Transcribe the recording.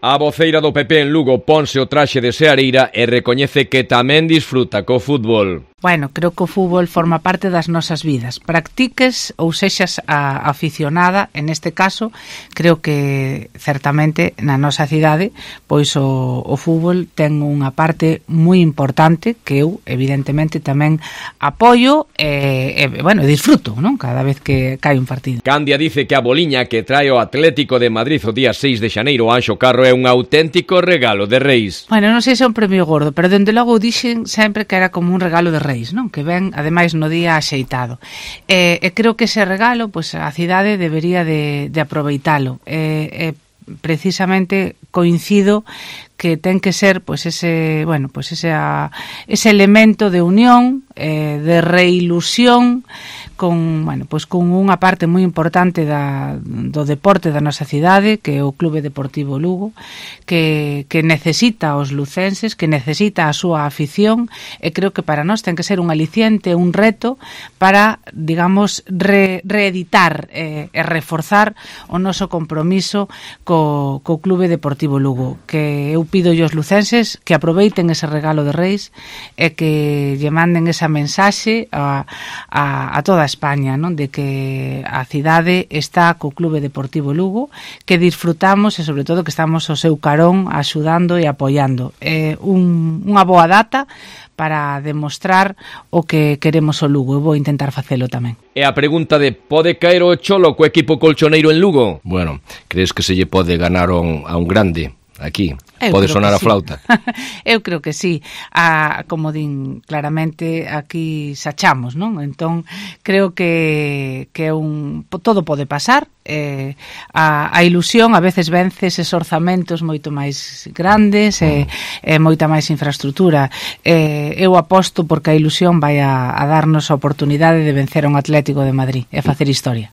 A voceira do PP en Lugo ponse o traxe de seareira e recoñece que tamén disfruta co fútbol. Bueno, creo que o fútbol forma parte das nosas vidas. Practiques ou sexas aficionada, en este caso, creo que certamente na nosa cidade, pois o fútbol ten unha parte moi importante que eu, evidentemente, tamén apoio e disfruto, non? Cada vez que cae un partido. Candia dice que a boliña que trae o Atlético de Madrid o día 6 de xaneiro a Anxo Carro é un auténtico regalo de Reis. Bueno, non sei se é un premio gordo, pero dende logo dixen sempre que era como un regalo de Reis, non? Que ven, ademais, no día axeitado. E creo que ese regalo, pois, a cidade debería de aproveitalo. Precisamente coincido que ten que ser pois ese elemento de unión, de reilusión con unha parte moi importante do deporte da nosa cidade, que é o Clube Deportivo Lugo, que necesita os lucenses, que necesita a súa afición, e creo que para nós ten que ser un aliciente, un reto para, digamos, reeditar e reforzar o noso compromiso co Clube Deportivo Lugo, que eu pido aos lucenses que aproveiten ese regalo de Reis e que lle manden esa mensaxe a toda España, non? De que a cidade está co Clube Deportivo Lugo, que disfrutamos e sobre todo que estamos ao seu carón axudando e apoiando. É unha boa data para demostrar o que queremos o Lugo. Eu vou intentar facelo tamén. E a pregunta de pode caer o Cholo co equipo colchoneiro en Lugo? Bueno, crees que se lle pode ganar a un grande aquí? Pode sonar a flauta? Eu creo que sí. Como din claramente, aquí sachamos, non? Entón, creo que todo pode pasar. A ilusión a veces vence eses orzamentos moito máis grandes e moita máis infraestructura. Eu aposto porque a ilusión vai a darnos a oportunidade de vencer a un Atlético de Madrid e facer historia.